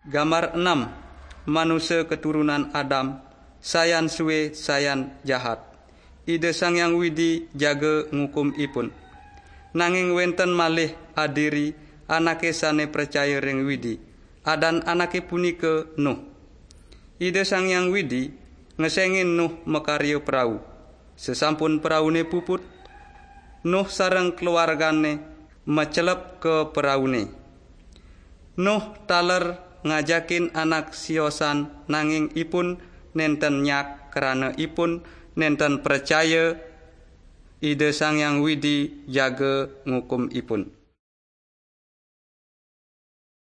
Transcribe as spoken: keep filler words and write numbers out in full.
Gambar enam. Manusa keturunan Adam, sayan suwe, sayan jahat. Ida Sang Hyang Widi jaga ngukum ipun. Nanging wenten malih adiri anake sane pracaya ring Widi, adan anake punika Nuh. Ida Sang Hyang Widi ngesengin Nuh makarya prau. Sesampun praune puput, Nuh sareng keluargane macelep ka praune. Nuh taler ngajakin anak siosan, nanging ipun nenten nyak, krana ipun nenten pracaya Ida Sang Hyang Widi jaga ngukum ipun.